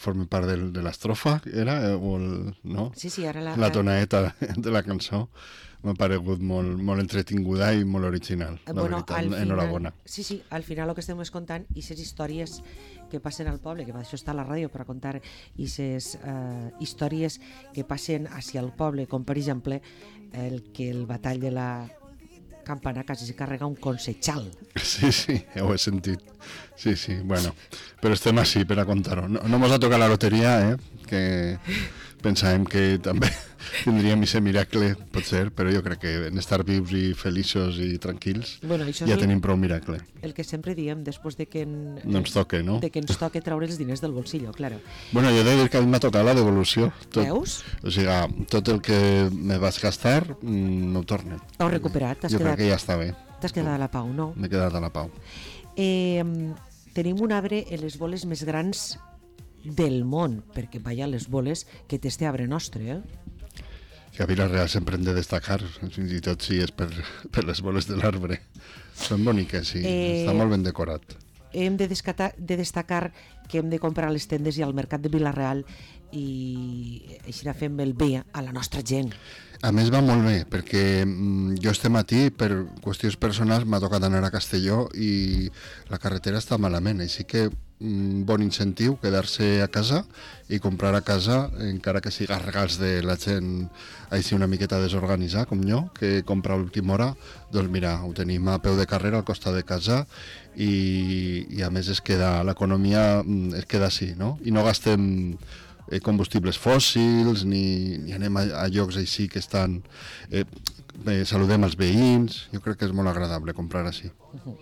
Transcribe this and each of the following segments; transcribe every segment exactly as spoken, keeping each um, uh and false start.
forma part de, de l'estrofa, era? O el, no? Sí, sí, ara la... La tonaeta de la cançó m'ha paregut molt, molt entretinguda i molt original, la bueno, veritat, enhorabona. Sí, sí, al final el que estem escoltant i les històries que passen al poble, que per això està a la ràdio per a contar i les uh, històries que passen hacia el poble, com per exemple el que el batall de la campana quasi se carrega un consejal. Sí, sí, ho he sentit. Sí, sí, bueno, però estem així per a contar-ho. No, no mos ha tocat la loteria, eh? Que pensàvem que també tindríem aquest miracle, pot ser, però jo crec que en estar vius i feliços i tranquils bueno, ja el, tenim prou miracle. El que sempre diem després de que, en, no ens toque, no? de que ens toque treure els diners del bolsillo, claro. Bueno, jo he de dir que a mi m'ha tocat la devolució. Tot, Veus? O sigui, tot el que me vas gastar mm, no ho torne. Ho has recuperat? Jo quedat, crec que ja està bé. T'has quedat a la pau, no? M'he quedat a la pau. Eh, tenim un arbre en les boles més grans del món, perquè vaja, les boles que té este arbre nostre, eh? Que a Vila-real sempre hem de destacar, fins i tot si és per, per les boles de l'arbre. Són boniques, sí, eh, està molt ben decorat. Hem de, descatar, de destacar que hem de comprar a les tendes i al mercat de Vila-real i així fem el bé a la nostra gent. A més va molt bé, perquè mm, jo este matí, per qüestions personals, m'ha tocat anar a Castelló i la carretera està malament, així que un bon incentiu quedar-se a casa i comprar a casa, encara que siga regals de la gent així una miqueta desorganitzada com jo, que compra a l'última hora, doncs mira, ho tenim a peu de carrera al costat de casa i, i a més es queda, l'economia es queda així, no? I no gastem combustibles fòssils ni, ni anem a, a llocs així que estan eh, eh, saludem els veïns, jo crec que és molt agradable comprar així. Uh-huh.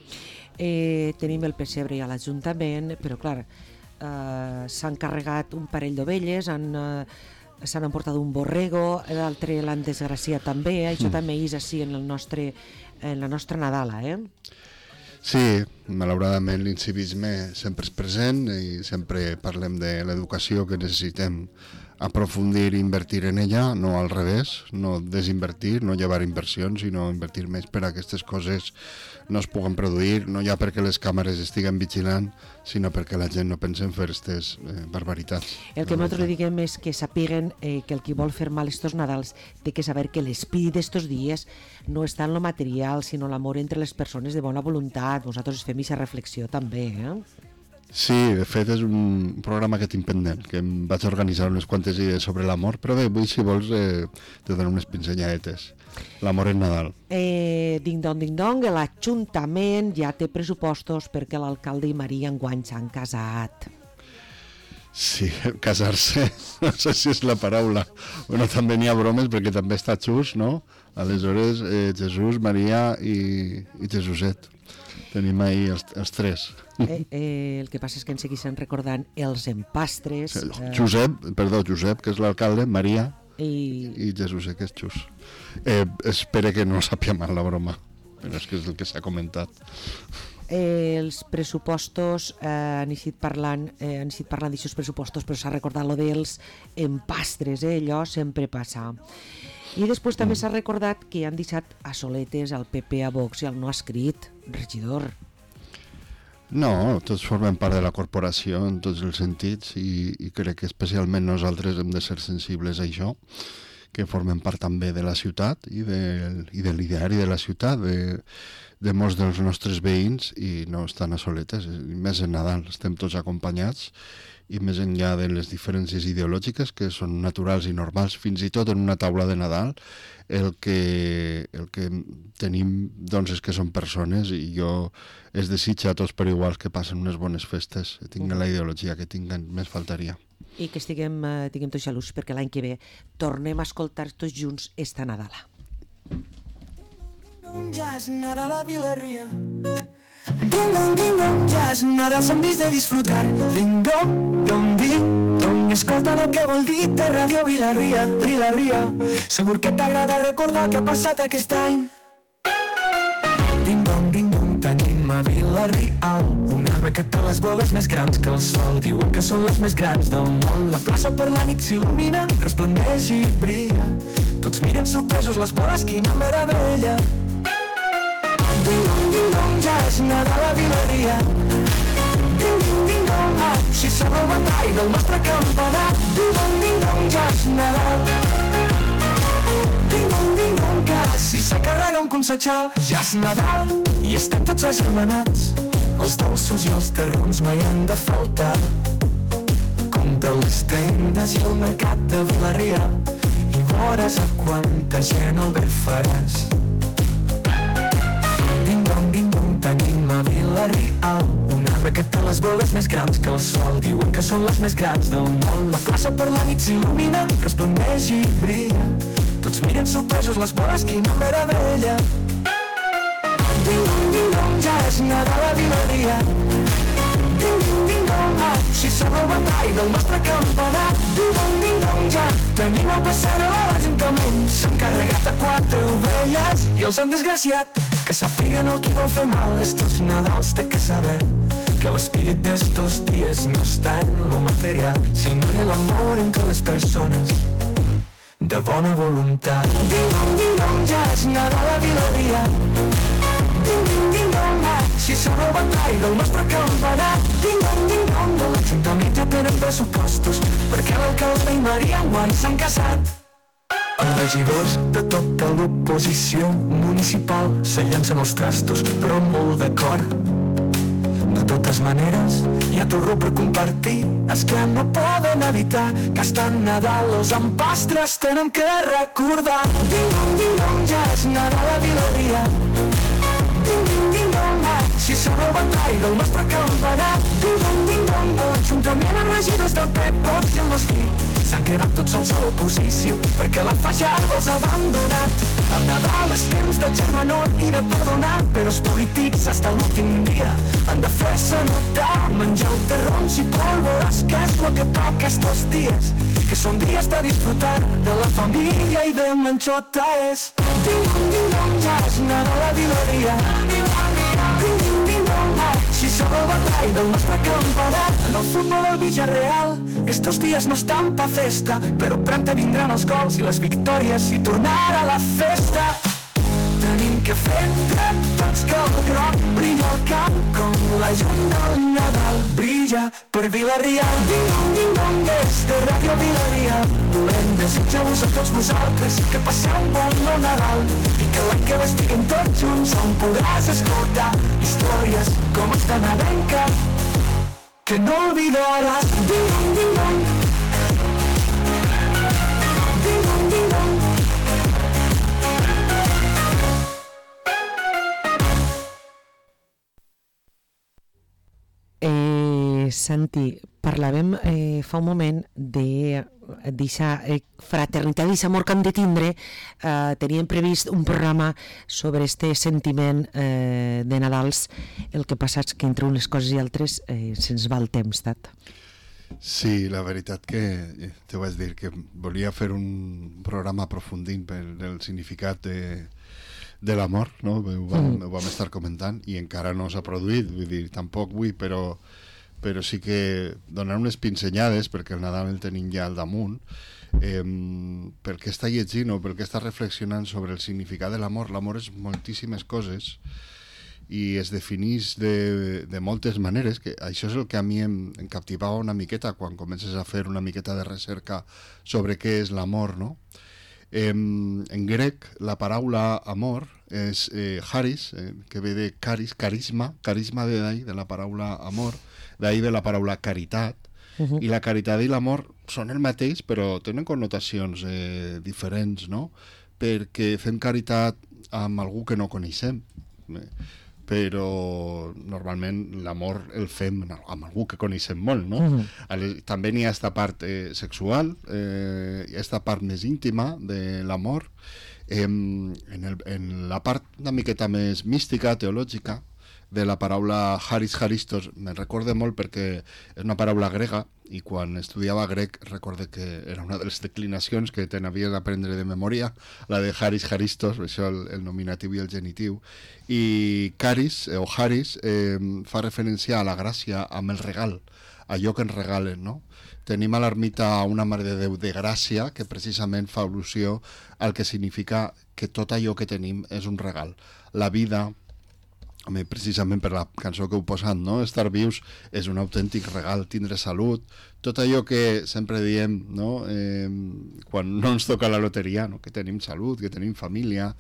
eh, tenim el pessebre a l'Ajuntament, però clar eh, s'han carregat un parell d'ovelles, han eh, s'han emportat un borrego, l'altre l'han desgraciat també, eh? Això mm. també és així en, el nostre, en la nostra Nadala, eh? Sí, malauradament l'incivisme sempre és present i sempre parlem de l'educació que necessitem aprofundir i invertir en ella, no al revés, no desinvertir, no llevar inversions, sinó invertir més per a aquestes coses no es puguen produir, no ja perquè les càmeres estiguen vigilant, sinó perquè la gent no pensa en fer aquestes eh, barbaritats. El que nosaltres diguem és que sapiguen eh, que el qui vol fer mal estos Nadals té que saber que l'espírit d'estos dies no està en lo material, sinó l'amor entre les persones de bona voluntat. Nosaltres fem aquesta reflexió també, eh? Sí, de fet és un programa que tinc pendent, que em vaig organitzar unes quantes idees sobre l'amor, però bé, avui si vols eh, te dono unes pinzelladetes. L'amor en Nadal. Eh, ding dong, ding dong, l'Ajuntament ja té pressupostos perquè l'alcalde i Maria enguany s'han casat. Sí, casar-se, no sé si és la paraula. Bueno, també n'hi ha bromes perquè també està Xus, no? Aleshores, eh, Jesús, Maria i, i Jesuset. Tenim ahir els, els tres. Eh, eh, el que passa és que ens segueixen recordant els empastres. Eh... Josep, perdó, Josep, que és l'alcalde, Maria i, i Jesús, que és Xus. Eh, espero que no sàpia mal la broma, però és que és el que s'ha comentat. Eh, els pressupostos, eh, han estat parlant, eh, han estat parlant d'aixòs pressupostos, però s'ha recordat lo dels empastres, eh, allò sempre passa. I després també s'ha recordat que han deixat a soletes al P P, a Vox i al no escrit, regidor. No, tots formem part de la corporació en tots els sentits i, i crec que especialment nosaltres hem de ser sensibles a això, que formem part també de la ciutat i de, i de l'ideari de la ciutat, de, de molts dels nostres veïns i no estan a soletes, més en Nadal, estem tots acompanyats i més enllà de les diferències ideològiques que són naturals i normals, fins i tot en una taula de Nadal el que, el que tenim doncs és que són persones i jo es desitja a tots per iguals que passen unes bones festes, tinguen la ideologia que tinguen, més faltaria. I que estiguem, eh, tinguem tots xalús perquè l'any que ve tornem a escoltar tots junts esta Nadala. Ja és Nadal a Vila-ria. Ding dong, ding dong, ja és Nadal, som dits de disfrutar. Ding dong, dong, ding dong, escolta el que vol dir de Ràdio Vila-ria, Vila-ria. Segur que t'agrada recordar què ha passat aquest any. Ding dong, ding dong, tenim a Vila-real un arbre que té les boles més grans que el sol. Diuen que són les més grans del món. La plaça per la nit s'il·lumina, resplendeix i brilla. Tots miren sorpresos les boles, quina meravella. Ding dong, ding dong, ja és Nadal a Vila-ria. Ding ding ding dong, si sona el batall del nostre campanar. Ding-dong, ding-dong, ja és Nadal. Ding-dong, ding-dong, quasi s'acarrega un consejal. Ja és Nadal i estem tots agermanats. Els dolços i els terrons mai han de faltar. Compta les tendes i el mercat de Vila-real i veuràs a quanta gent al ver faràs. Ding-dong, ding-dong, tenim a Vila-real un arbre que té les boles més grans que el sol. Diuen que són les més grans del món. La plaça per la nit s'il·lumina, resplandeix i brilla. Tots miren sorpresos les boles, quina meravella. Ding-dong, ding-dong, ja és Nadal a Vila-real. Ding-dong, ding-dong, ah, si sona el batall del nostre campanar. Ding-dong, ding-dong, ja tenim el passant a l'Ajuntament. S'han carregat a quatre ovelles i els han desgraciat. Que sàpiguen el que vol fer mal. Estos Nadals té que saber que l'espírit d'estos dies no està en lo material, sinó en el amor entre les persones de bona voluntat. Ding-dong, ding-dong, ja és Nadal a Vila-real. Ding-dong, ding-dong, ah, si sona el batall del nostre campanar. Ding-dong, ding-dong, de l'Ajuntament ja tenen pressupostos perquè l'alcalde i Maria Guai s'han casat. Els regidors de tota l'oposició municipal se llancen els trastos, però molt d'acord. De totes maneres, hi ha torró per compartir. És que no poden evitar que estan Nadal els empastres tenen que recordar. Ding-dong, ding-dong, ja és Nadal a Vila-real. Ding-dong, ding-dong, ah, si sona el batall del nostre campanar. Ding-dong, ding-dong, de l'Ajuntament els regidors del P P i el Mosquí s'han quedat tots sols a l'oposició perquè la fallada els ha abandonat. El Nadal és temps de germanor i de perdonar, però els polítics hasta l'últim dia han de fer-se notar. Menjar terrons i pólvoras, que és lo que toca estos dies, que són dies de disfrutar de la família i de menxota és. Ding-dong, ding-dong, ja és Nadal a Vila-real. Ding-dong, ding-dong, ah, si sona el batall del nostre campanar. En el futbol al Villarreal estos dies no estan pa festa, però prompte vindran els gols i les victòries i tornar a la festa. Tenim que fer entre tots que el groc brilla al camp com la llum del Nadal brilla per Vila-real. Ding-dong, ding-dong, des de Ràdio Vila-real volem desitjar-vos a tots vosaltres que passeu un bon Nadal i que l'any que ve estiguem tots junts on podràs escoltar històries com esta nadalenca que no olvidaràs. Ding-dong, ding-dong, ding-dong, ding-dong. Eh, Santi, parlàvem eh, fa un moment de d'aquesta eh, fraternitat, d'aquest amor que hem de tindre. Eh, teníem previst un programa sobre este sentiment eh, de Nadals. El que passa és que entre unes coses i altres eh, se'ns va el temps, Tat. Sí, la veritat que eh, te vaig dir que volia fer un programa aprofundint pel el significat de de l'amor, no? Ho vam, mm. ho vam estar comentant i encara no s'ha produït, vull dir, tampoc vull, però, però sí que donar unes pinzellades, perquè el Nadal el tenim ja al damunt, eh, pel que està llegint o pel que està reflexionant sobre el significat de l'amor. L'amor és moltíssimes coses i es defineix de, de moltes maneres, que això és el que a mi em, em captivava una miqueta quan comences a fer una miqueta de recerca sobre què és l'amor, no? Eh, en grec la paraula amor és eh, charis, eh, que ve de caris, carisma, carisma de d'ahí, de la paraula amor, d'ahí de la paraula caritat, uh-huh. I la caritat i l'amor són el mateix, però tenen connotacions eh, diferents, no? Perquè fem caritat amb algú que no coneixem, eh? Però normalment l'amor el fem amb algú que coneixem molt, no? Uh-huh. També n'hi ha esta part eh, sexual, eh, esta part més íntima de l'amor, eh, en, el, en la part una miqueta més mística, teològica, de la paraula Haris Haristos, me'n recorde molt perquè és una paraula grega i quan estudiava grec recorde que era una de les declinacions que te n'havies d'aprendre de memòria, la de Haris Haristos, això el, el nominatiu i el genitiu, i Caris o Haris eh, fa referència a la gràcia amb el regal, allò que ens regalen, no? Tenim a l'ermita una Mare de Déu de gràcia que precisament fa al·lusió al que significa que tot allò que tenim és un regal. La vida, home, precisament per la cançó que heu posat, no? Estar vius és un autèntic regal, tindre salut, tot allò que sempre diem, no? Eh, quan no ens toca la loteria, no? Que tenim salut, que tenim família.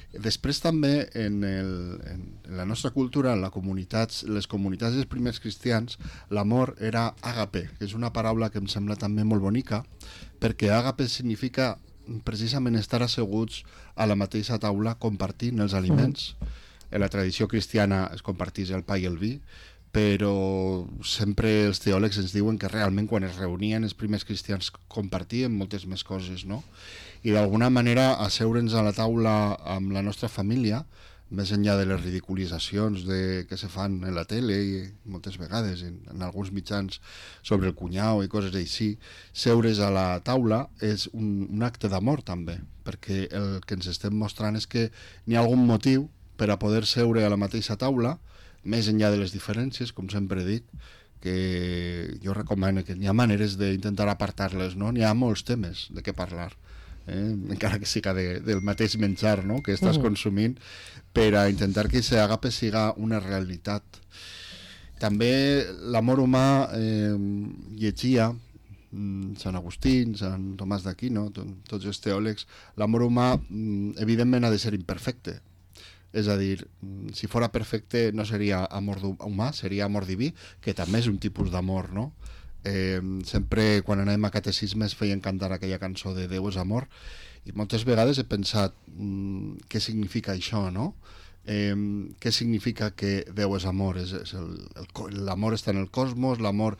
Després també en, el, en la nostra cultura, en la comunitats, les comunitats dels primers cristians, l'amor era àgape, que és una paraula que em sembla també molt bonica, perquè àgape significa precisament estar asseguts a la mateixa taula compartint els aliments. Mm. En la tradició cristiana es compartís el pa i el vi, però sempre els teòlegs ens diuen que realment quan es reunien els primers cristians compartien moltes més coses, no? I d'alguna manera asseure'ns a la taula amb la nostra família, més enllà de les ridiculitzacions de, que se fan en la tele i moltes vegades en, en alguns mitjans sobre el cunyau i coses així, seure's a la taula és un, un acte d'amor també, perquè el que ens estem mostrant és que n'hi ha algun motiu per a poder seure a la mateixa taula, més enllà de les diferències, com sempre dic, que jo recomano que n'hi ha maneres d'intentar apartar-les, no? N'hi ha molts temes de què parlar, eh? Encara que siga de, del mateix menjar, no? Que estàs uh-huh. consumint, per a intentar que aquest àgape siga una realitat. També l'amor humà eh, llegia Sant Agustí, Sant Tomàs d'Aquino, tots els teòlegs, l'amor humà evidentment ha de ser imperfecte. És a dir, si fora perfecte no seria amor humà, seria amor diví, que també és un tipus d'amor, no? Eh, sempre quan anem a catecismes feien cantar aquella cançó de Déu és amor, i moltes vegades he pensat mm, què significa això, no? Eh, què significa que Déu és amor? És, és el, el, l'amor està en el cosmos, l'amor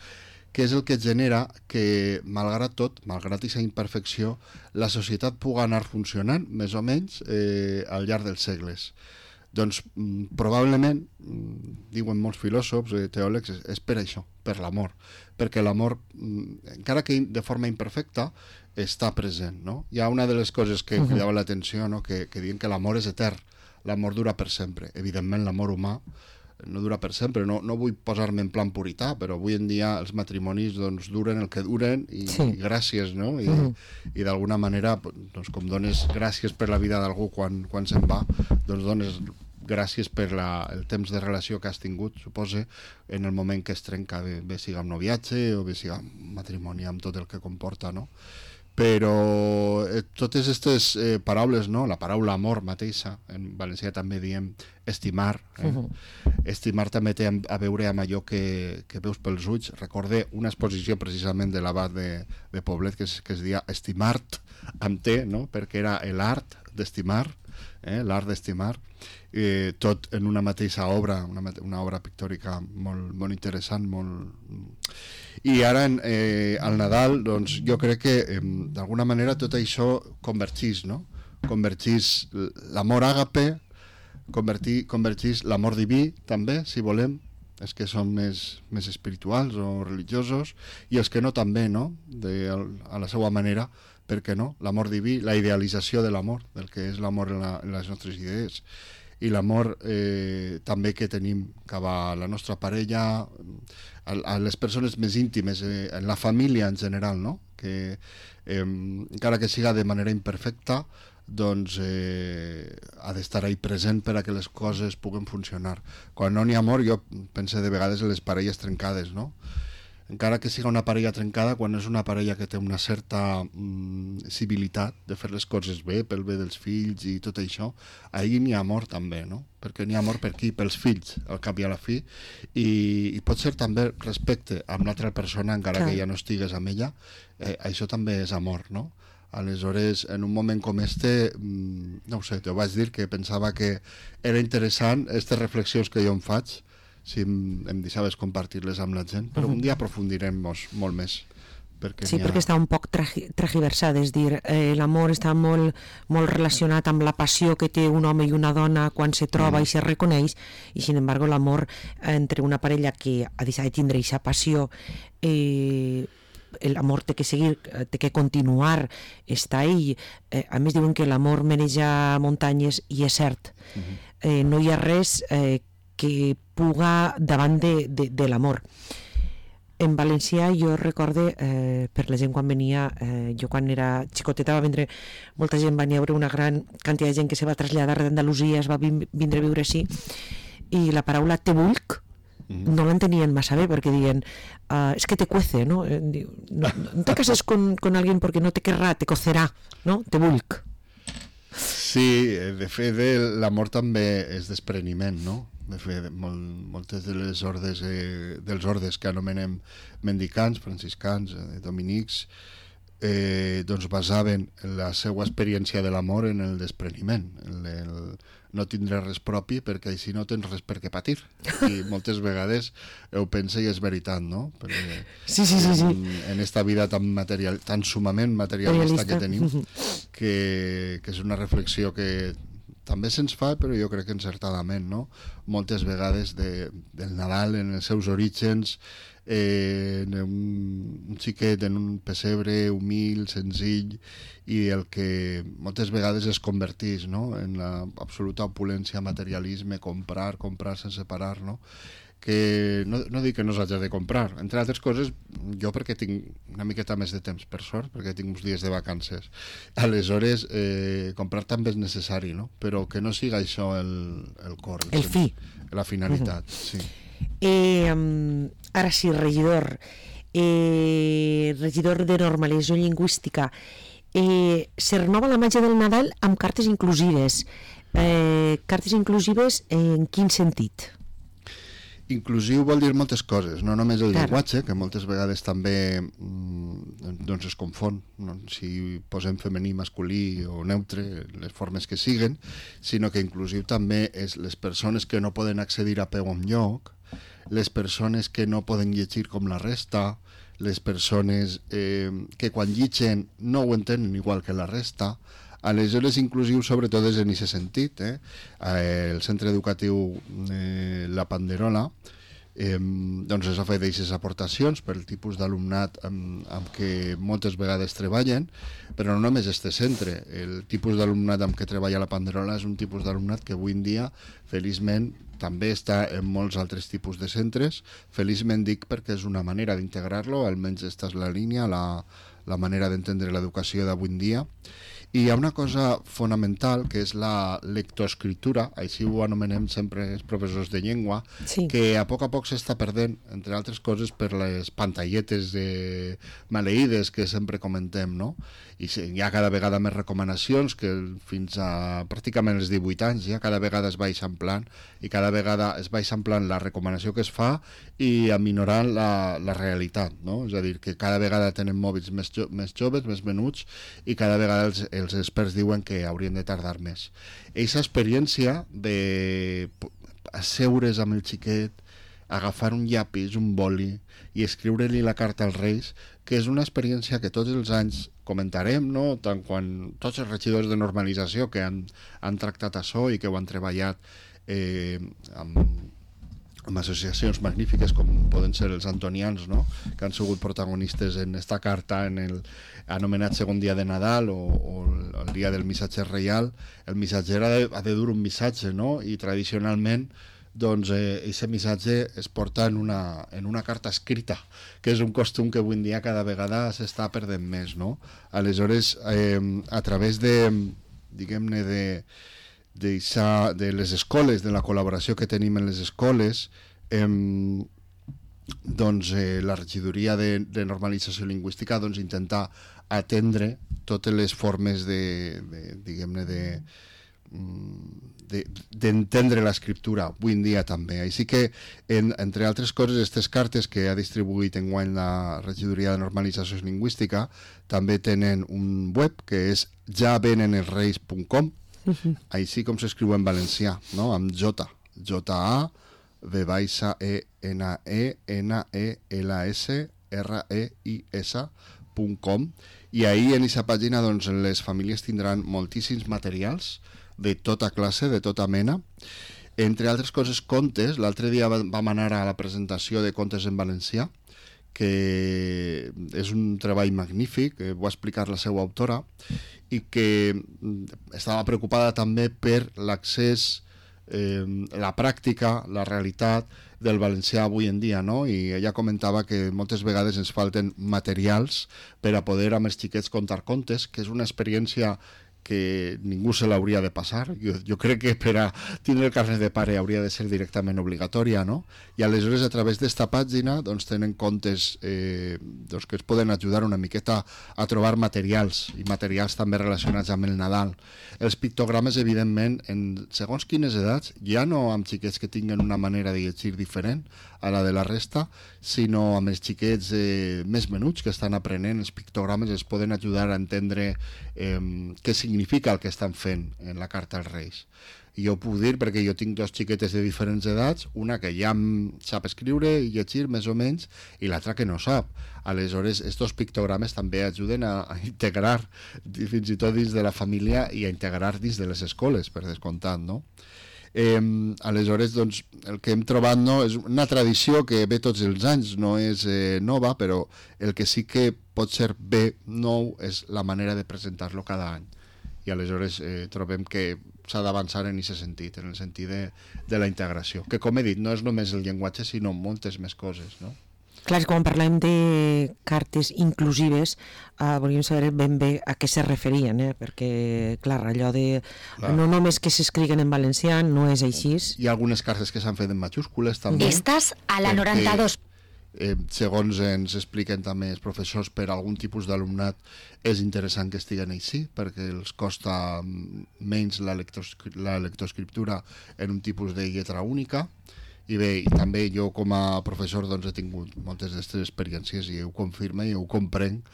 que és el que genera que, malgrat tot, malgrat aquesta imperfecció, la societat pugui anar funcionant, més o menys, eh, al llarg dels segles. Doncs mm, probablement, mm, diuen molts filòsofs, eh, teòlegs, és, és per això, per l'amor, perquè l'amor, mm, encara que de forma imperfecta, està present, no? Hi ha una de les coses que uh-huh. cridava l'atenció, no? que, que diuen que l'amor és etern, l'amor dura per sempre. Evidentment, l'amor humà no dura per sempre, no, no vull posar-me en plan purità, però avui en dia els matrimonis doncs, duren el que duren i, sí. i gràcies, no? I, uh-huh. i d'alguna manera, doncs, com dones gràcies per la vida d'algú quan, quan se'n va, doncs dones gràcies per la, el temps de relació que has tingut, suposa, en el moment que es trenca, bé, bé siga un noviatge o bé siga un matrimoni amb tot el que comporta, no? Però eh, totes aquestes eh, paraules, no? La paraula amor mateixa, en valencià també diem estimar, eh? Uh-huh. Estimar també té a veure amb allò que, que veus pels ulls. Recordé una exposició precisament de l'abat de, de Poblet que es, que es deia Estimart amb T, no? Perquè era l'art d'estimar, eh? L'art d'estimar, eh, tot en una mateixa obra, una, una obra pictòrica molt, molt interessant, molt... I ara eh, al Nadal doncs, jo crec que eh, d'alguna manera tot això convergís, no? Convergís l'amor àgape, convertir, convergís l'amor diví també, si volem, els que són més, més espirituals o religiosos, i els que no també, no? De, a la seva manera, per què no? L'amor diví, la idealització de l'amor, del que és l'amor en, la, en les nostres idees, i l'amor eh, també que tenim cap a la nostra parella, a, a les persones més íntimes, eh, en la família en general, no? Que eh, encara que siga de manera imperfecta, doncs eh, ha d'estar ahí present per a que les coses puguen funcionar. Quan no n'hi ha amor, jo penso de vegades en les parelles trencades, no? Encara que siga una parella trencada, quan és una parella que té una certa mm, civilitat de fer les coses bé, pel bé dels fills i tot això, ahir n'hi ha amor també, no? Perquè n'hi ha amor per qui? Pels fills, al cap i a la fi, i, i pot ser també respecte amb l'altra persona, encara Clar. Que ja no estigues amb ella, eh, això també és amor, no? Aleshores, en un moment com este, mm, no ho sé, t'ho vaig dir que pensava que era interessant aquestes reflexions que jo em faig, si em, em deixaves compartir-les amb la gent, però uh-huh. un dia aprofundirem molt més. Perquè sí, ha... perquè està un poc tergiversat, és dir, eh, l'amor està molt, molt relacionat amb la passió que té un home i una dona quan se troba mm. i se reconeix, i sin embargo l'amor entre una parella que ha deixat de tindre aquesta passió, eh, l'amor té que seguir, té que continuar, està ahí. Eh, a més diuen que l'amor maneja muntanyes, i és cert. Uh-huh. Eh, no hi ha res eh, que puga davant de, de, de l'amor. En valencià jo recorde, eh, per la gent quan venia, eh, jo quan era xicoteta va vindre, molta gent va venir a veure una gran quantitat de gent que se va traslladar d'Andalusia, es va vindre a viure així, i la paraula te vulc no l'entenien massa bé, perquè diuen uh, es que te cuece, no? Diu, no, no te cases con, con alguien porque no te querrá, te cocerá, no? Te vulc. Sí, de fet l'amor també és despreniment, no? De fet, molt, moltes de les ordes, eh, dels ordes que anomenem mendicants, franciscans, eh, dominics, eh, doncs basaven la seva experiència de l'amor en el despreniment, en el no tindre res propi perquè així no tens res per què patir. I moltes vegades ho pensa i és veritat, no? Perquè sí, sí, sí, sí. En, en esta vida tan, material, tan sumament materialista que tenim, que, que és una reflexió que també se'ns fa, però jo crec que encertadament, no? Moltes vegades de, del Nadal, en els seus orígens, eh, en un, un xiquet en un pessebre humil, senzill, i el que moltes vegades es converteix, no? En l'absoluta opulència, materialisme, comprar, comprar sense parar, no? Que no, no dic que no s'hagi de comprar, entre altres coses jo perquè tinc una miqueta més de temps, per sort, perquè tinc uns dies de vacances, aleshores eh, comprar també és necessari, no? Però que no siga això el, el cor, el fi, la finalitat. Uh-huh. Sí. eh, um, ara sí, regidor eh, regidor de normalització lingüística, eh, se renova la màgia del Nadal amb cartes inclusives. Eh, cartes inclusives en quin sentit? Inclusiu vol dir moltes coses, no només el llenguatge, que moltes vegades també mm, doncs es confon, no? Si posem femení, masculí o neutre, les formes que siguen, sinó que inclusiu també és les persones que no poden accedir a peu enlloc, les persones que no poden llegir com la resta, les persones eh, que quan llitgen no ho entenen igual que la resta. Aleshores, inclusiu sobretot és en aquest sentit. Eh? El centre educatiu eh, La Panderola eh, doncs es ha fet aquestes aportacions per el tipus d'alumnat amb, amb què moltes vegades treballen, però no només este centre. El tipus d'alumnat amb què treballa La Panderola és un tipus d'alumnat que avui en dia, feliçment, també està en molts altres tipus de centres. Feliçment dic perquè és una manera d'integrar-lo, almenys aquesta és la línia, la, la manera d'entendre l'educació d'avui en dia. I hi ha una cosa fonamental que és la lectoescriptura, així ho anomenem sempre els professors de llengua, sí. Que a poc a poc s'està perdent, entre altres coses per les pantalletes de maleïdes que sempre comentem, no? I hi ha cada vegada més recomanacions que fins a pràcticament els divuit anys ja cada vegada es va eixamplant i cada vegada es va eixamplant la recomanació que es fa i aminorant la, la realitat, no? És a dir, que cada vegada tenen mòbils més, jo, més joves, més menuts i cada vegada els, els experts diuen que haurien de tardar més. Eixa experiència de asseure's amb el xiquet, agafar un llapis, un boli i escriure-li la carta als Reis, que és una experiència que tots els anys comentarem, no? Tant quan tots els regidors de normalització que han, han tractat això i que ho han treballat eh, amb, amb associacions magnífiques com poden ser els antonians, no? Que han sigut protagonistes en esta carta en el anomenat segon dia de Nadal o, o el dia del missatge reial. El missatger ha de, ha de dur un missatge, no? I tradicionalment doncs aquest eh, missatge es porta en una, en una carta escrita, que és un costum que avui en dia cada vegada s'està perdent més, no? Aleshores, eh, a través de, diguem-ne, de, de, esa, de les escoles, de la col·laboració que tenim en les escoles, eh, doncs eh, la regidoria de, de normalització lingüística doncs intentar atendre totes les formes de, de diguem-ne, de d'entendre de, l'escriptura avui en dia també. Així que, en, entre altres coses, aquestes cartes que ha distribuït enguany la regidoria de normalització lingüística també tenen un web que és ja venen els reis punt com, uh-huh. Així com s'escriu en valencià, no? Amb J, J-A, V baixa E N E N E L S R E I S punt com, i ahir en aquesta pàgina doncs, les famílies tindran moltíssims materials de tota classe, de tota mena, entre altres coses contes. L'altre dia vam anar a la presentació de contes en valencià, que és un treball magnífic, que va explicar la seva autora i que estava preocupada també per l'accés, eh, la pràctica, la realitat del valencià avui en dia, no? I ella comentava que moltes vegades ens falten materials per a poder amb els xiquets contar contes, que és una experiència que ningú se l'hauria de passar. Jo, jo crec que per a tindre el carnet de pare hauria de ser directament obligatòria, no? I aleshores a través d'esta pàgina doncs, tenen comptes eh, doncs, que es poden ajudar una miqueta a trobar materials, i materials també relacionats amb el Nadal. Els pictogrames, evidentment, en segons quines edats, ja no amb xiquets que tinguen una manera de llegir diferent a la de la resta, sinó amb els xiquets eh, més menuts que estan aprenent els pictogrames, els poden ajudar a entendre eh, què significa el que estan fent en la carta als Reis. I jo ho puc dir perquè jo tinc dos xiquetes de diferents edats, una que ja sap escriure i llegir més o menys, i l'altra que no sap. Aleshores, estos pictogrames també ajuden a, a integrar fins i tot dins de la família i a integrar dins de les escoles, per descomptat, no? Eh, aleshores, doncs, el que hem trobat no, és una tradició que ve tots els anys, no és eh, nova, però el que sí que pot ser bé nou és la manera de presentar-lo cada any. I aleshores eh, trobem que s'ha d'avançar en aquest sentit, en el sentit de, de la integració, que com he dit, no és només el llenguatge, sinó moltes més coses, no? Clar, quan parlem de cartes inclusives, eh, volíem saber ben bé a què se referien, eh? Perquè, clar, allò de clar. No només que s'escriguen en valencià no és així. Hi ha algunes cartes que s'han fet en majúscules també. Estàs a la noranta-dos. Eh, segons ens expliquen també els professors, per algun tipus d'alumnat és interessant que estiguen així, perquè els costa menys la, lectoscri la lectoescriptura en un tipus de lletra única. I bé, i també jo com a professor doncs, he tingut moltes d'aquestes experiències i ho confirma i ho comprenc,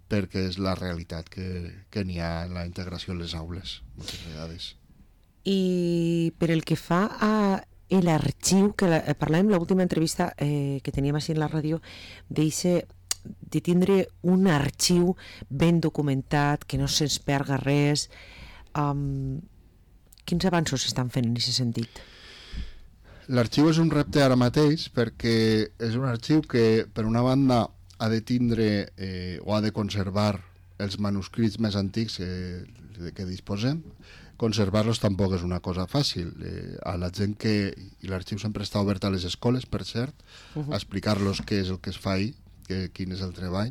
perquè és la realitat que, que n'hi ha en la integració en les aules moltes vegades. I per el que fa a l'arxiu, que la, parlàvem en l'última entrevista eh, que teníem així en la ràdio, d'eixe de tindre un arxiu ben documentat, que no se'ns perga res. Um, quins avanços s'estan fent en aquest sentit? L'arxiu és un repte ara mateix perquè és un arxiu que, per una banda, ha de tindre eh, o ha de conservar els manuscrits més antics eh, de què disposem. Conservar-los tampoc és una cosa fàcil. Eh, a la gent que... I l'arxiu sempre està obert a les escoles, per cert, uh -huh. a explicar-los què és el que es fa ahir, que, quin és el treball.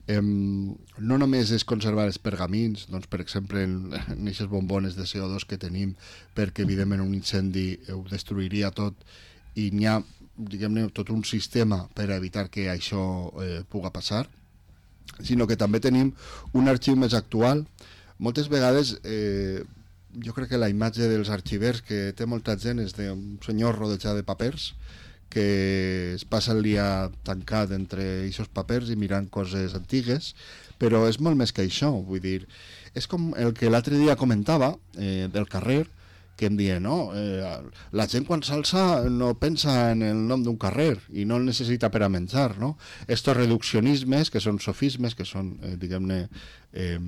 Eh, no només és conservar els pergamins, doncs, per exemple, en aquestes bombones de C O dos que tenim, perquè evidentment un incendi ho destruiria tot, i n'hi ha, diguem-ne, tot un sistema per evitar que això eh, pugui passar, sinó que també tenim un arxiu més actual. Moltes vegades eh, jo crec que la imatge dels arxivers que té molta gent és d'un senyor rodejat de papers que es passa el dia tancat entre aquests papers i mirant coses antigues, però és molt més que això, vull dir, és com el que l'altre dia comentava eh, del carrer, que em deia, no, eh, la gent quan s'alça no pensa en el nom d'un carrer i no el necessita per a menjar, no? Estos reduccionismes, que són sofismes, que són, eh, diguem-ne, eh,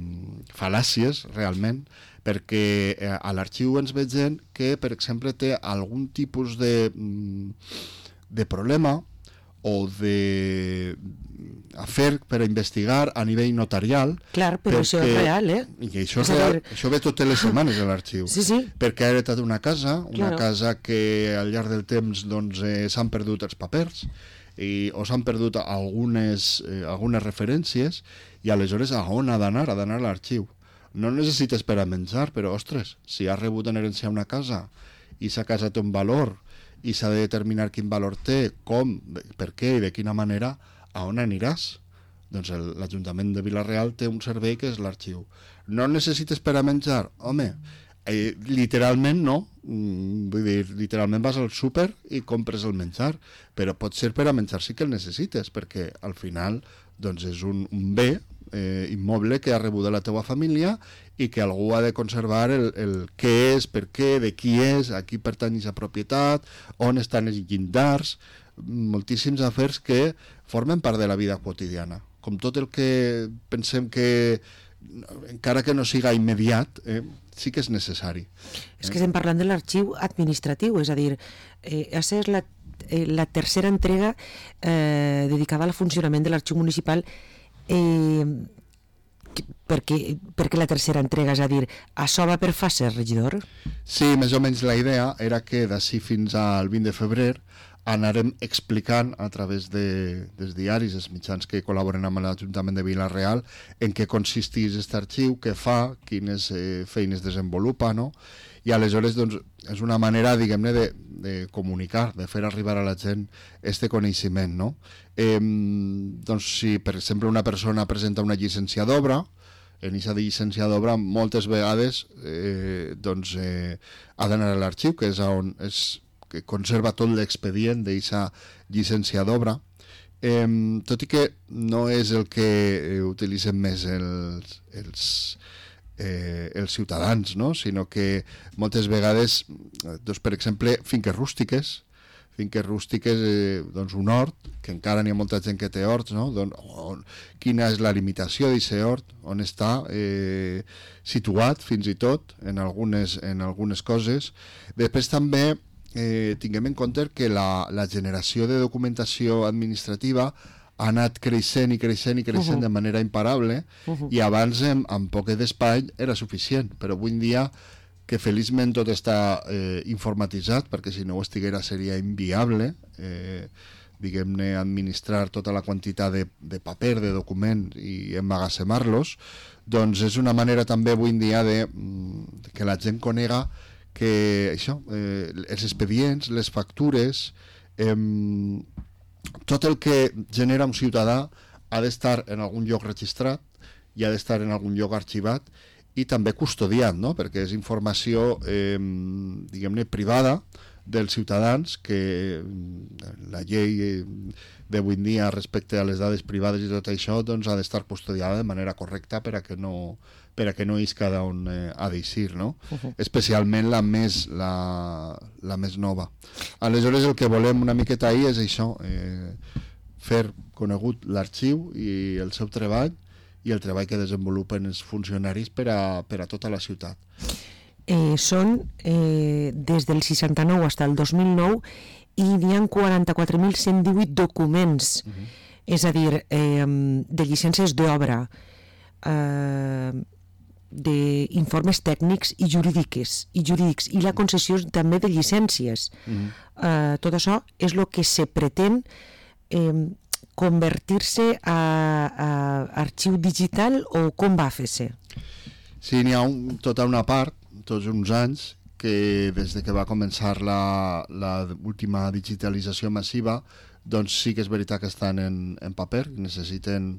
fal·làcies, realment, perquè eh, a l'arxiu ens veig gent que, per exemple, té algun tipus de... Mm, de problema o de afer per a investigar a nivell notarial. Clar, però perquè, això és real, eh? I això és real, això ve totes les setmanes a l'arxiu. Sí, sí. Perquè ha heretat una casa, una claro. casa que al llarg del temps doncs, eh, s'han perdut els papers i, o s'han perdut algunes, eh, algunes referències, i aleshores a on ha d'anar? Ha d'anar a l'arxiu. No necessites per a menjar, però, ostres, si has rebut en herència una casa i s'ha casat un valor i s'ha de determinar quin valor té, com, per què i de quina manera, a on aniràs? Doncs l'Ajuntament de Vila-real té un servei que és l'arxiu. No necessites per a menjar? Home, eh, literalment no. Mm, vull dir, literalment vas al súper i compres el menjar, però pot ser per a menjar sí que el necessites, perquè al final doncs és un, un bé eh, immoble que ha rebut de la teua família i que algú ha de conservar el, el què és, per què, de qui és, a qui pertany aquesta propietat, on estan els llindars, moltíssims afers que formen part de la vida quotidiana. Com tot el que pensem que, encara que no siga immediat, eh, sí que és necessari. És que estem parlant de l'arxiu administratiu, és a dir, eh, aquesta és la, eh, la tercera entrega eh, dedicada al funcionament de l'arxiu municipal. Eh, perquè, perquè la tercera entrega, és a dir, això va per fases, regidor? Sí, més o menys la idea era que d'ací fins al vint de febrer anarem explicant a través de, dels diaris, els mitjans que col·laboren amb l'Ajuntament de Vila-real, en què consisteix aquest arxiu, què fa, quines eh, feines desenvolupa, no? I aleshores doncs, és una manera, diguem-ne, de, de comunicar, de fer arribar a la gent este coneixement, no? Eh, doncs si, per exemple, una persona presenta una llicència d'obra, en aquesta llicència d'obra moltes vegades eh, doncs, eh, ha d'anar a l'arxiu, que és on és, que conserva tot l'expedient d'aquesta llicència d'obra, eh, tot i que no és el que eh, utilitzen més els, els, eh, els ciutadans, no? Sinó que moltes vegades, doncs, per exemple, finques rústiques, finques rústiques, eh, doncs un hort, que encara n'hi ha molta gent que té horts, no? Doncs, on, quina és la limitació d'aquest hort, on està eh, situat fins i tot en algunes, en algunes coses. Després també eh, tinguem en compte que la, la generació de documentació administrativa ha anat creixent i creixent i creixent uh-huh. de manera imparable uh-huh. i abans amb, amb poc d'espai era suficient, però avui en dia que feliçment tot està eh, informatitzat, perquè si no ho estiguera seria inviable eh, diguem-ne administrar tota la quantitat de, de paper, de documents i emmagatzemar-los, doncs és una manera també avui en dia de, de que la gent conega que això, eh, els expedients, les factures, eh, tot el que genera un ciutadà ha d'estar en algun lloc registrat i ha d'estar en algun lloc arxivat i també custodiat, no? Perquè és informació eh, diguem-ne privada dels ciutadans que la llei d'avui en dia respecte a les dades privades i tot això doncs ha d'estar custodiada de manera correcta per a que no, per a que no isca d'on eh, ha d'eixir, no? Uh-huh. Especialment la més, la, la més nova. Aleshores el que volem una miqueta ahir és això, eh, fer conegut l'arxiu i el seu treball i el treball que desenvolupen els funcionaris per a, per a tota la ciutat. Eh, són eh, des del seixanta-nou fins al dos mil nou i n'hi ha quaranta-quatre mil cent divuit documents, uh-huh. és a dir, eh, de llicències d'obra, eh, d'informes tècnics i jurídiques, i jurídics, i la concessió també de llicències. Uh-huh. Eh, tot això és el que se pretén eh, convertir-se a, a arxiu digital o com va fer-se? Sí, n'hi ha un, tota una part, tots uns anys, que des de que va començar la, la última digitalització massiva, doncs sí que és veritat que estan en, en paper, necessiten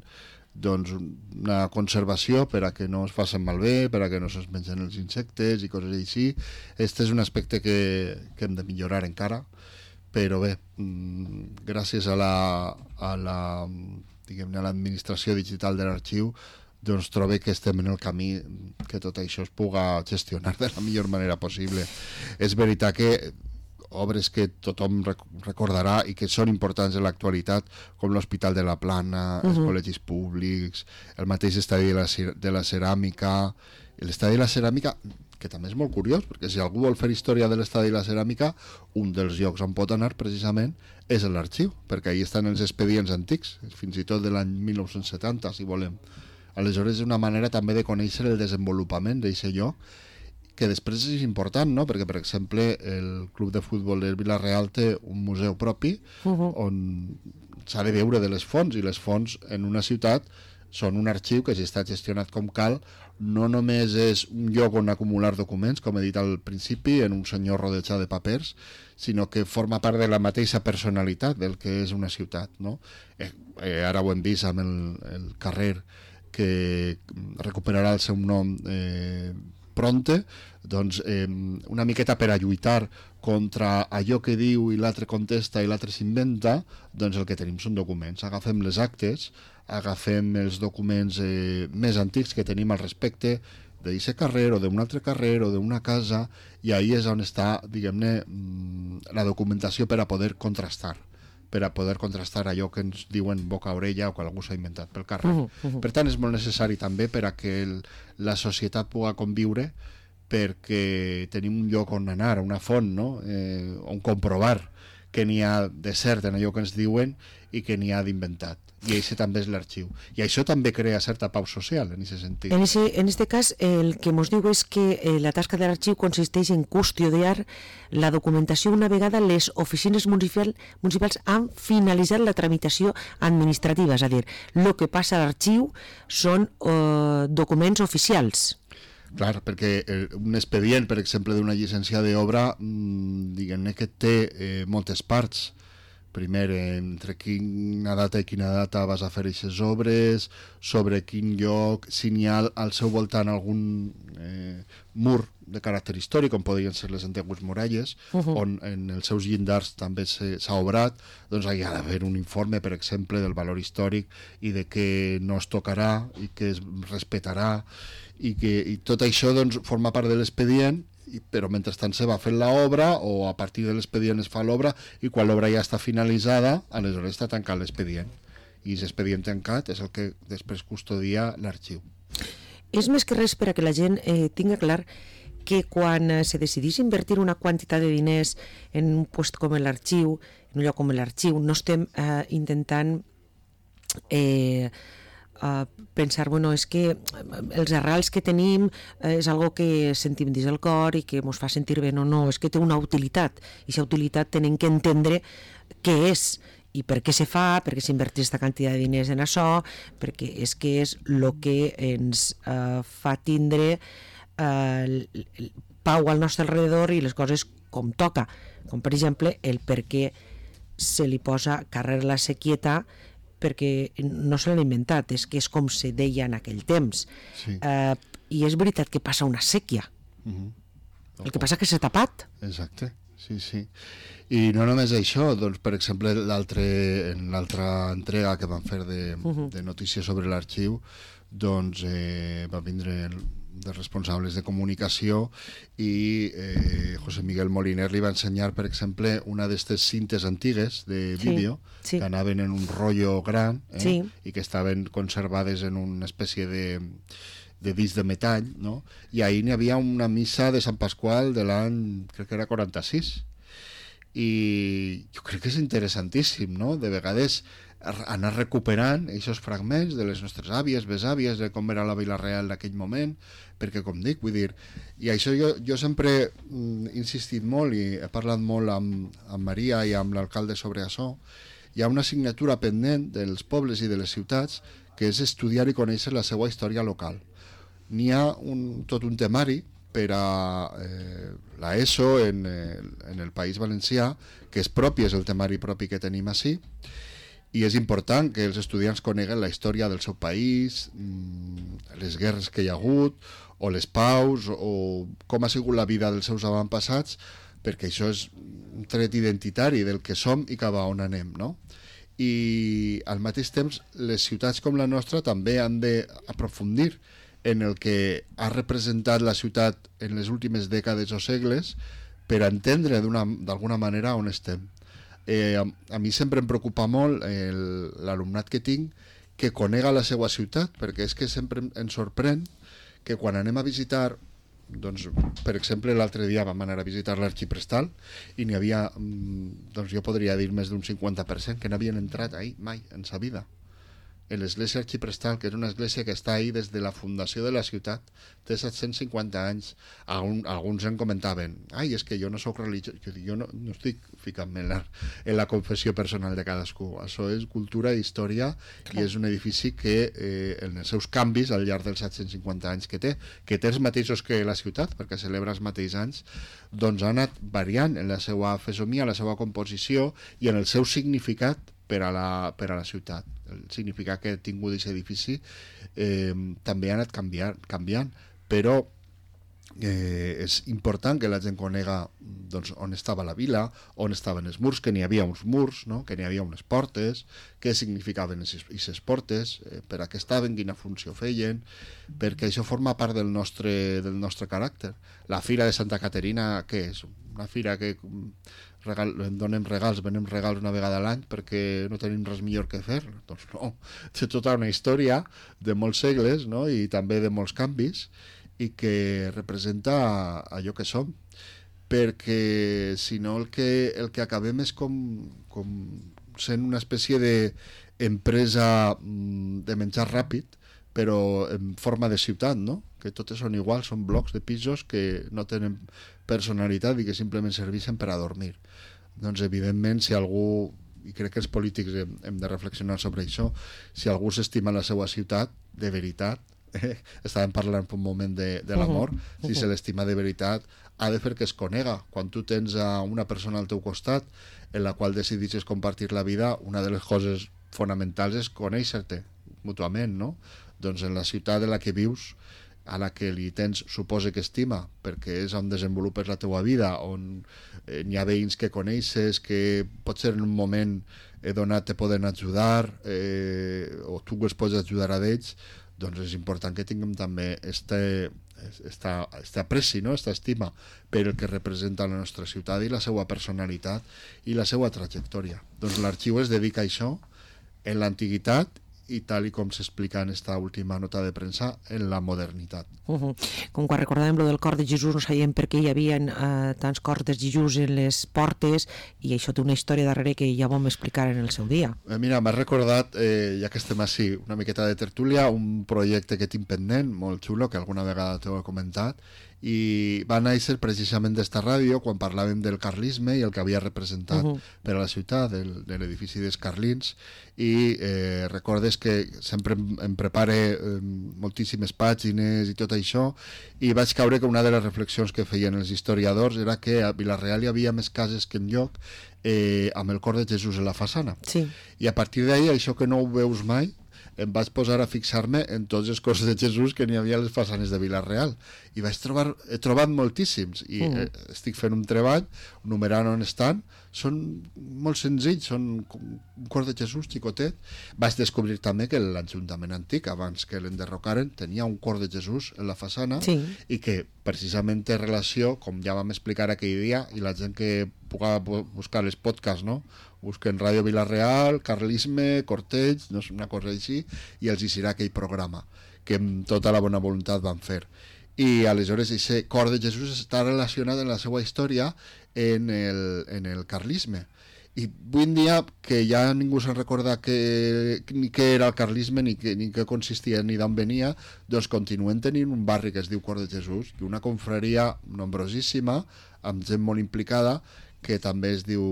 doncs, una conservació per a que no es facin malbé, per a que no se'ls mengen els insectes i coses així. Aquest és un aspecte que, que hem de millorar encara, però bé, gràcies a la, a la, diguem-ne, a l'administració digital de l'arxiu, doncs trobo que estem en el camí que tot això es puga gestionar de la millor manera possible. És veritat que obres que tothom recordarà i que són importants en l'actualitat, com l'Hospital de la Plana, uh-huh. els col·legis públics, el mateix estadi de la, de la ceràmica, l'estadi de la ceràmica, que també és molt curiós, perquè si algú vol fer història de l'estadi de la ceràmica, un dels llocs on pot anar precisament és l'arxiu, perquè ahí estan els expedients antics, fins i tot de l'any mil nou-cents setanta, si volem. Aleshores és una manera també de conèixer el desenvolupament d'aquest lloc, que després és important, no? Perquè, per exemple, el Club de Futbol de Vila-real té un museu propi uh-huh. on s'ha de veure de les fonts, i les fonts en una ciutat són un arxiu que, si està gestionat com cal, no només és un lloc on acumular documents, com he dit al principi, en un senyor rodejat de papers, sinó que forma part de la mateixa personalitat del que és una ciutat, no? Eh, eh, ara ho hem vist amb el, el carrer que recuperarà el seu nom eh, pronte, doncs eh, una miqueta per a lluitar contra allò que diu i l'altre contesta i l'altre s'inventa, doncs el que tenim són documents. Agafem les actes, agafem els documents eh, més antics que tenim al respecte d'aquest carrer o d'un altre carrer o d'una casa, i ahí és on està, diguem-ne, la documentació per a poder contrastar. per a poder contrastar allò que ens diuen boca a orella o que algú s'ha inventat pel carrer. Uh -huh, uh -huh. Per tant, és molt necessari també per a que el, la societat pugui conviure, perquè tenim un lloc on anar, una font, no? eh, on comprovar que n'hi ha de cert en allò que ens diuen i que n'hi ha d'inventat. I això també és l'arxiu. I això també crea certa pau social, en aquest sentit. En, ese, en este cas, el que ens diu és que eh, la tasca de l'arxiu consisteix en custodiar la documentació una vegada les oficines municipal, municipals han finalitzat la tramitació administrativa, és a dir, el que passa a l'arxiu són eh, documents oficials. Clar, perquè un expedient, per exemple, d'una llicència d'obra, diguem-ne que té eh, moltes parts. Primer, entre quina data i quina data vas a fer aquestes obres, sobre quin lloc, si n'hi ha al seu voltant algun eh, mur de caràcter històric, com podrien ser les antigues muralles, uh -huh. on en els seus llindars també s'ha obrat, doncs hi ha d'haver un informe, per exemple, del valor històric i de què no es tocarà i que es respetarà, i que i tot això doncs, forma part de l'expedient, però mentrestant se va fent l'obra o a partir de l'expedient es fa l'obra i quan l'obra ja està finalitzada, aleshores està tancat l'expedient. I aquest expedient tancat és el que després custodia l'arxiu. És més que res per a que la gent eh, tinga clar que quan eh, se decidís invertir una quantitat de diners en un lloc com l'arxiu, en un lloc com l'arxiu, no estem eh, intentant eh, Uh, pensar, bueno, és que els arrels que tenim uh, és algo que sentim dins el cor i que ens fa sentir bé, no, no, és que té una utilitat i aquesta utilitat tenem que entendre què és i per què se fa, per què s'inverteix aquesta quantitat de diners en això, perquè és que és el que ens uh, fa tindre uh, pau al nostre alrededor i les coses com toca, com per exemple el per què se li posa carrer la Sequieta, perquè no se l'han inventat, és que és com se deia en aquell temps. Sí. Uh, I és veritat que passa una sèquia. Uh-huh. El que passa és que s'ha tapat. Exacte, sí, sí. I no només això, doncs, per exemple, en l'altra entrega que vam fer de, uh-huh. de notícies sobre l'arxiu, doncs eh, va vindre el, de responsables de comunicació i eh, José Miguel Moliner li va ensenyar, per exemple, una d'aquestes cintes antigues de vídeo sí, sí. que anaven en un rotllo gran eh, sí. i que estaven conservades en una espècie de, de disc de metall, no? I ahir n'hi havia una missa de Sant Pasqual de l'any, crec que era quaranta-sis, i jo crec que és interessantíssim, no? De vegades anar recuperant aquests fragments de les nostres àvies, besàvies, de com era la Vila Real d'aquell moment, perquè, com dic, vull dir, i això jo, jo sempre mm, he insistit molt i he parlat molt amb, amb Maria i amb l'alcalde sobre això. Hi ha una assignatura pendent dels pobles i de les ciutats que és estudiar i conèixer la seva història local. N'hi ha un, tot un temari per a eh, l'ESO en, en el País Valencià, que és propi, és el temari propi que tenim així, i és important que els estudiants coneguen la història del seu país, les guerres que hi ha hagut, o les paus, o com ha sigut la vida dels seus avantpassats, perquè això és un tret identitari del que som i cap a on anem, no? I al mateix temps les ciutats com la nostra també han d'aprofundir en el que ha representat la ciutat en les últimes dècades o segles per entendre d'alguna manera on estem. Eh, a, a mi sempre em preocupa molt l'alumnat que tinc que conega la seva ciutat, perquè és que sempre ens sorprèn que quan anem a visitar, doncs, per exemple, l'altre dia vam anar a visitar l'Arxiprestal i n'hi havia, doncs jo podria dir més d'un cinquanta per cent que n'havien entrat ahir mai en sa vida. En l'església Arxiprestal, que és una església que està ahí des de la fundació de la ciutat, té set-cents cinquanta anys. Algun, alguns en comentaven, ai, és que jo no soc religiós, jo, jo no, no estic ficant-me en la, en la confessió personal de cadascú. Això és cultura i història. Clar. I és un edifici que eh, en els seus canvis al llarg dels set-cents cinquanta anys que té, que té els mateixos que la ciutat, perquè celebra els mateixos anys, doncs ha anat variant en la seva fesomia, la seva composició i en el seu significat per a la, per a la ciutat. El significat que ha tingut aquest edifici eh, també ha anat canviant, canviant però eh, és important que la gent conega doncs, on estava la vila, on estaven els murs, que n'hi havia uns murs, no? Que n'hi havia unes portes, què significaven aquestes portes, eh, per a què estaven, quina funció feien, perquè això forma part del nostre, del nostre caràcter. La Fira de Santa Caterina, què és? Una fira que regal, donem regals, venem regals una vegada a l'any perquè no tenim res millor que fer. Doncs no, té tota una història de molts segles, no? I també de molts canvis, i que representa allò que som. perquè si no el que, el que acabem és com, com sent una espècie d'empresa de menjar ràpid, però en forma de ciutat, no? Que totes són iguals, són blocs de pisos que no tenen personalitat i que simplement serveixen per a dormir. Doncs evidentment, si algú, i crec que els polítics hem, hem de reflexionar sobre això, si algú s'estima la seva ciutat, de veritat, eh, estàvem parlant per un moment de, de l'amor, uh -huh. si se l'estima de veritat, ha de fer que es conega. Quan tu tens a una persona al teu costat en la qual decidixes compartir la vida, una de les coses fonamentals és conèixer-te mútuament, no? Doncs en la ciutat en la que vius, a la que li tens, suposa que estima, perquè és on desenvolupes la teua vida, on eh, hi ha veïns que coneixes, que potser en un moment eh, donat te poden ajudar, eh, o tu els pots ajudar a ells, doncs és important que tinguem també este, esta, este apreci, no? Esta estima per el que representa la nostra ciutat i la seva personalitat i la seva trajectòria. Doncs l'arxiu es dedica a això en l'antiguitat i tal i com s'explica en esta última nota de premsa, en la modernitat. Uh -huh. Com quan recordàvem lo del cor de Jesús, no sabíem per què hi havia eh, tants cors de Jesús en les portes, i això té una història darrere que ja vam explicar en el seu dia. Eh, mira, m'has recordat, eh, ja que estem així, una miqueta de tertúlia, un projecte que tinc pendent, molt xulo, que alguna vegada t'ho he comentat, i va néixer precisament d'esta ràdio quan parlàvem del carlisme i el que havia representat uh -huh. per a la ciutat, del, de l'edifici dels Carlins, i eh, recordes que sempre em, em prepare eh, moltíssimes pàgines i tot això, i vaig caure que una de les reflexions que feien els historiadors era que a Vila-real hi havia més cases que enlloc eh, amb el cor de Jesús en la façana. Sí. I a partir d'ahir, això que no ho veus mai, em vaig posar a fixar-me en tots els cors de Jesús que n'hi havia a les façanes de Vila-real, i vaig trobar, he trobat moltíssims, i mm. eh, estic fent un treball numerant on estan. Són molt senzills, són un cor de Jesús xicotet. Vaig descobrir també que l'Ajuntament antic, abans que l'enderrocaren, tenia un cor de Jesús en la façana, sí. i que precisament té relació, com ja vam explicar aquell dia, i la gent que puga buscar els podcasts, no? Busquen Ràdio Vila-real, Carlisme, Corteig, no és una cosa així, i els hi serà aquell programa que amb tota la bona voluntat van fer. I aleshores aquest cor de Jesús està relacionat en la seva història en el, en el carlisme. I avui en dia, que ja ningú se'n recorda que, ni què era el carlisme, ni, que, ni què consistia, ni d'on venia, doncs continuen tenint un barri que es diu Cor de Jesús, i una confraria nombrosíssima, amb gent molt implicada, que també es diu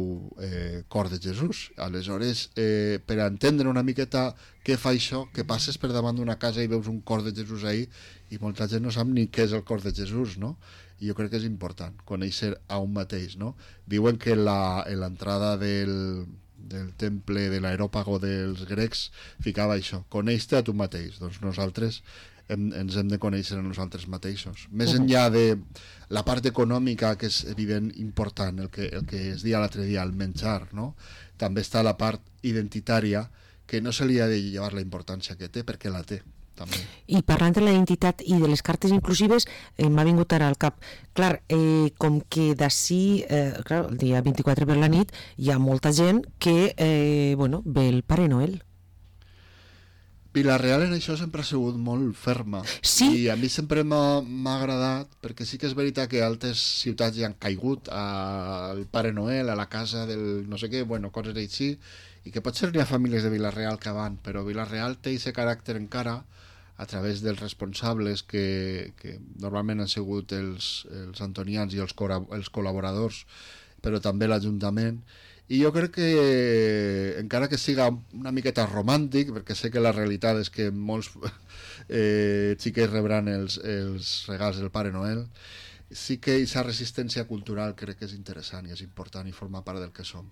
eh, Cor de Jesús. Aleshores, eh, per entendre una miqueta què fa això, que passes per davant d'una casa i veus un cor de Jesús ahí, i molta gent no sap ni què és el cor de Jesús, no? I jo crec que és important conèixer a un mateix, no? Diuen que la, en l'entrada del, del temple de l'aeròpago dels grecs ficava això, coneix-te a tu mateix. Doncs nosaltres hem, ens hem de conèixer a nosaltres mateixos. Més enllà de la part econòmica, que és evident important, el que, el que es deia l'altre dia, el menjar, no? També està la part identitària, que no se li ha de llevar la importància que té, perquè la té. També. I parlant de la identitat i de les cartes inclusives, eh, m'ha vingut ara al cap, clar, eh, com que d'ací, eh, clar, el dia vint-i-quatre per la nit, hi ha molta gent que eh, bueno, ve el Pare Noel. Vila-real en això sempre ha sigut molt ferma, sí? I a mi sempre m'ha agradat, perquè sí que és veritat que altres ciutats ja han caigut al Pare Noel, a la casa del no sé què, bueno, coses així, i que potser n'hi ha famílies de Vila-real que van, però Vila-real té aquest caràcter encara a través dels responsables que, que normalment han sigut els, els antonians i els, els col·laboradors, però també l'Ajuntament. I jo crec que, encara que siga una miqueta romàntic, perquè sé que la realitat és que molts eh, xiquets rebran els, els regals del Pare Noel, sí que aquesta resistència cultural crec que és interessant i és important i forma part del que som.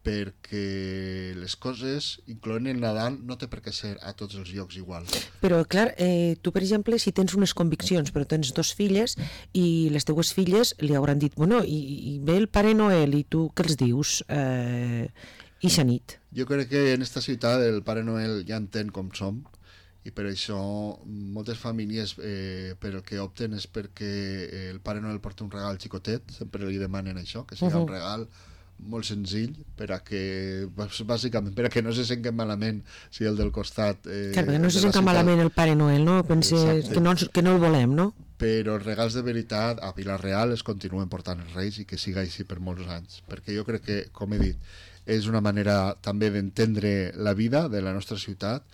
Perquè les coses, incloent el Nadal, no té per què ser a tots els llocs igual. Però, clar, eh, tu, per exemple, si tens unes conviccions, però tens dos filles, i les teues filles li hauran dit, bueno, i, i ve el Pare Noel, i tu què els dius? Eh, I xa nit. Jo crec que en esta ciutat el Pare Noel ja entén com som, i per això moltes famílies eh, per el que opten és perquè el Pare Noel porta un regal xicotet, sempre li demanen això, que sigui uh-huh. un regal molt senzill, per a que bàsicament per a que no se senten malament si el del costat eh, clar, perquè no se senten malament el Pare Noel, no? Pense que no, que no el volem, no? però els regals de veritat a Vila-real es continuen portant els Reis i que siga així per molts anys, perquè jo crec que, com he dit, és una manera també d'entendre la vida de la nostra ciutat,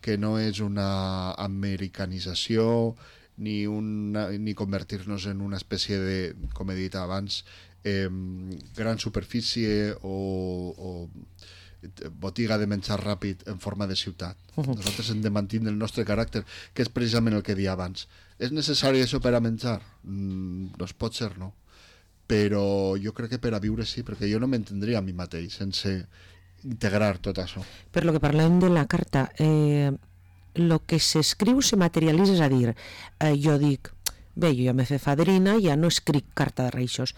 que no és una americanització ni, una, ni convertir-nos en una espècie de, com he dit abans, eh, gran superfície o, o botiga de menjar ràpid en forma de ciutat. Uh-huh. Nosaltres hem de mantenir el nostre caràcter, que és precisament el que deia abans. És necessari això per a menjar? Mm, doncs pot ser, no. Però jo crec que per a viure sí, perquè jo no m'entendria a mi mateix sense integrar tot això. Per lo que parlem de la carta, eh, lo que s'escriu se materialitza, és a dir, eh, jo dic, bé, jo ja m'he fet fadrina, ja no escric carta de Reixos.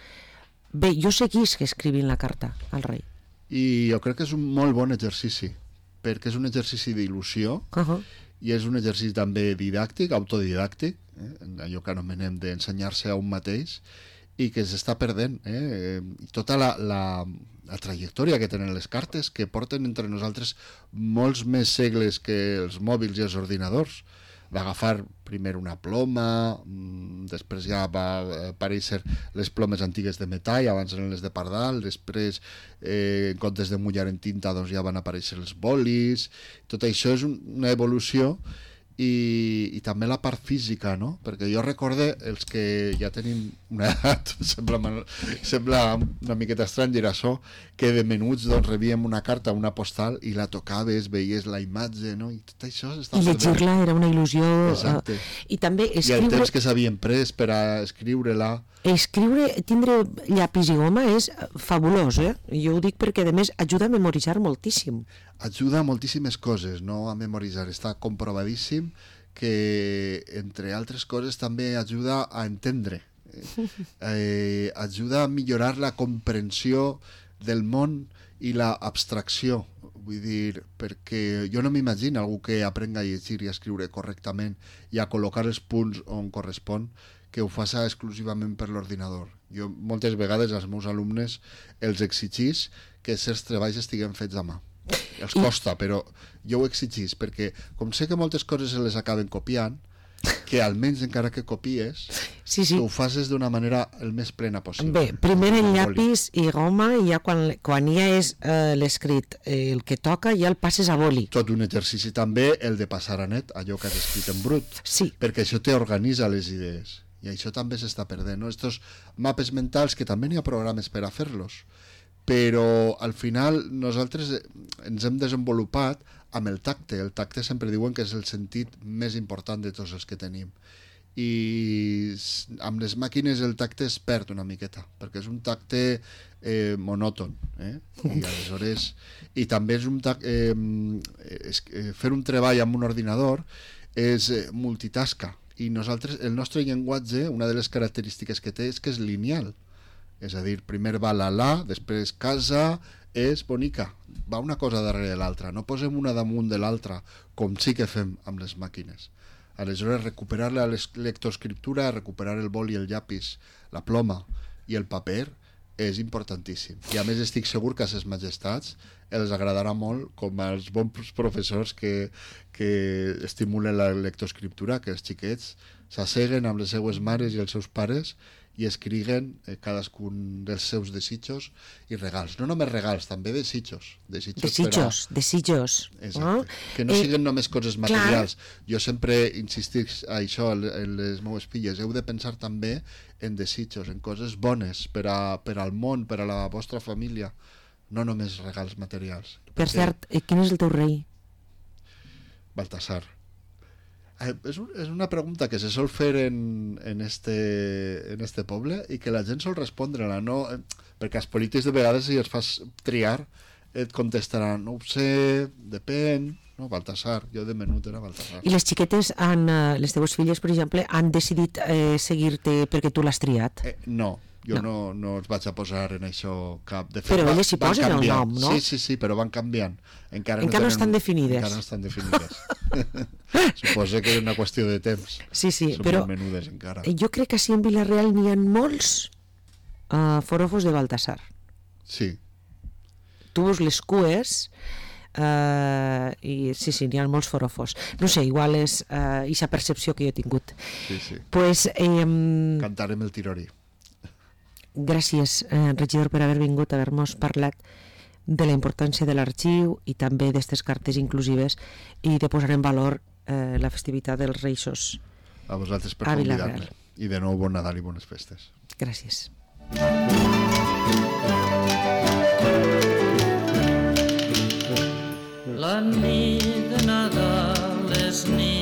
Bé, jo seguís que escrivint la carta al rei. I jo crec que és un molt bon exercici, perquè és un exercici d'il·lusió, uh-huh. i és un exercici també didàctic, autodidàctic, eh? allò que anomenem d'ensenyar-se a un mateix, i que s'està perdent. Eh? I tota la, la, la trajectòria que tenen les cartes, que porten entre nosaltres molts més segles que els mòbils i els ordinadors, d'agafar primer una ploma, després ja va aparèixer les plomes antigues de metall, abans eren les de pardal, després eh, en comptes de mullar en tinta doncs ja van aparèixer els bolis. Tot això és una evolució i, i també la part física, no? Perquè jo recorde els que ja tenim una edat, sembla, sembla una miqueta estrany dir això, que de menuts doncs rebíem una carta, una postal, i la tocaves, veies la imatge, no? I tot això s'està perdent. I llegir-la era una il·lusió. Exacte. Uh, I també escriure... I el temps que s'havien pres per a escriure-la. Escriure, tindre llapis i goma és fabulós, eh? Jo ho dic perquè, a més, ajuda a memoritzar moltíssim. Ajuda a moltíssimes coses, no a memoritzar. Està comprovadíssim que, entre altres coses, també ajuda a entendre. Eh, ajuda a millorar la comprensió del món i la abstracció. Vull dir, perquè jo no m'imagino algú que aprenga a llegir i a escriure correctament i a col·locar els punts on correspon, que ho faça exclusivament per l'ordinador. Jo moltes vegades als meus alumnes els exigís que certs treballs estiguen fets a mà. Els costa, però jo ho exigís, perquè com sé que moltes coses se les acaben copiant, que almenys encara que copies, sí, sí. que ho facis d'una manera el més plena possible. Bé, primer el llapis i goma, i ja quan, quan ja és eh, l'escrit eh, el que toca, ja el passes a boli. Tot un exercici també el de passar a net allò que has escrit en brut, sí. perquè això t'organitza les idees. I això també s'està perdent, no? Estos mapes mentals, que també n'hi ha programes per a fer-los, però al final nosaltres ens hem desenvolupat amb el tacte. El tacte sempre diuen que és el sentit més important de tots els que tenim. I amb les màquines el tacte es perd una miqueta, perquè és un tacte eh, monòton. Eh? I aleshores... I també és un tacte... Eh, és, eh, fer un treball amb un ordinador és eh, multitasca. I nosaltres, el nostre llenguatge, una de les característiques que té és que és lineal. És a dir, primer va la la, després casa, és bonica. Va una cosa darrere de l'altra. No posem una damunt de l'altra, com sí que fem amb les màquines. Aleshores, recuperar la lectoescriptura, recuperar el boli, el llapis, la ploma i el paper és importantíssim. I a més estic segur que a ses majestats els agradarà molt, com als bons professors que, que estimulen la lectoescriptura, que els xiquets s'asseguen amb les seues mares i els seus pares i escriguen eh, cadascun dels seus desitjos i regals. No només regals, també desitjos. Desitjos, desitjos, a... desitjos. Exacte. No? Que no eh, siguin només coses materials. Clar. Jo sempre insistic a això en les meves filles. Heu de pensar també en desitjos, en coses bones per, a, per al món, per a la vostra família. No només regals materials. Per cert, quin és el teu rei? Baltasar. Eh, és, un, és una pregunta que se sol fer en, en, este, en este poble i que la gent sol respondre-la, no? Eh, perquè els polítics de vegades, si els fas triar, et contestaran, no ho sé, depèn, no, Baltasar, jo de menut era Baltasar. I les xiquetes, han, les teves filles, per exemple, han decidit eh, seguir-te perquè tu l'has triat? Eh, no, jo no. no, no els vaig a posar en això cap... De fet, però elles s'hi posen el nom, no? Sí, sí, sí, però van canviant. Encara, encara no, no, tenen, no estan definides. Encara no estan definides. Suposo que és una qüestió de temps. Sí, sí, són però menudes encara. Jo crec que així en Vila-real n'hi ha molts uh, forofos de Baltasar. Sí. Tu veus les cues uh, i sí, sí, n'hi ha molts forofos. No sé, igual és aquesta uh, percepció que jo he tingut. Sí, sí. Pues, eh, Cantarem el tirori. Gràcies, eh, regidor, per haver vingut, haver-nos parlat de la importància de l'arxiu i també d'aquestes cartes inclusives i de posar en valor eh, la festivitat dels Reixos. A vosaltres per convidar-me. I de nou, bon Nadal i bones festes. Gràcies. La nit de Nadal és nit